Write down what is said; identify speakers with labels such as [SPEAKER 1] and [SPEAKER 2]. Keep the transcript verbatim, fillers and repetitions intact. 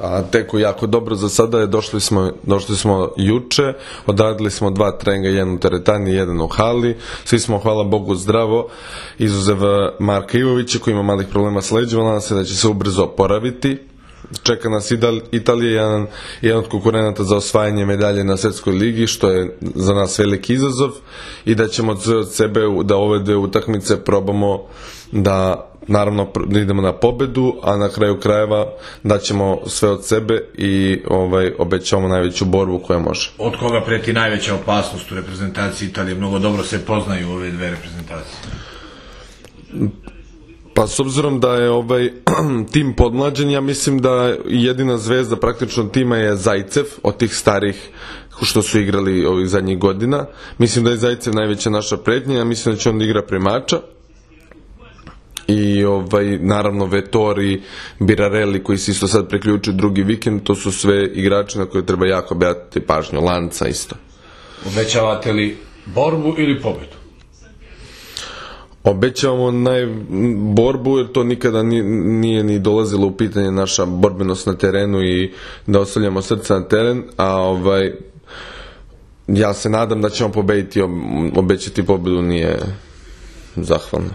[SPEAKER 1] A teku jako dobro za sada je, došli smo, došli smo juče, odradili smo dva treninga, jedan u teretani, jedan u hali, svi smo, hvala Bogu, zdravo, izuzev Marka Ivovića koji ima malih problema s leđima, nadam se da će se ubrzo oporaviti. Čeka nas Italija, jedan, jedan od konkurenata za osvajanje medalje na Svetskoj ligi, što je za nas veliki izazov, i da ćemo od sebe da ove dve utakmice probamo da, naravno, da idemo na pobedu, a na kraju krajeva da ćemo sve od sebe i ovaj, obećavamo najveću borbu koja može.
[SPEAKER 2] Od koga preti najveća opasnost u reprezentaciji Italije? Mnogo dobro se poznaju ove dve reprezentacije.
[SPEAKER 1] Pa s obzirom da je ovaj tim podmlađen, ja mislim da jedina zvezda praktično tima je Zajcev, od tih starih što su igrali ovih zadnjih godina. Mislim da je Zajcev najveća naša pretnja, ja mislim da će on da igra premača. I ovaj, naravno Vettori, Birarelli koji se isto sad preključuju drugi vikend, to su sve igrači na koje treba jako obratiti pažnju, Lanca isto.
[SPEAKER 2] Obećavate li borbu ili pobedu?
[SPEAKER 1] Obećavamo naj borbu, jer to nikada nije ni dolazilo u pitanje naša borbenost na terenu i da ostavljamo srce na teren, a ovaj, ja se nadam da ćemo pobediti, obećati pobedu nije zahvalno.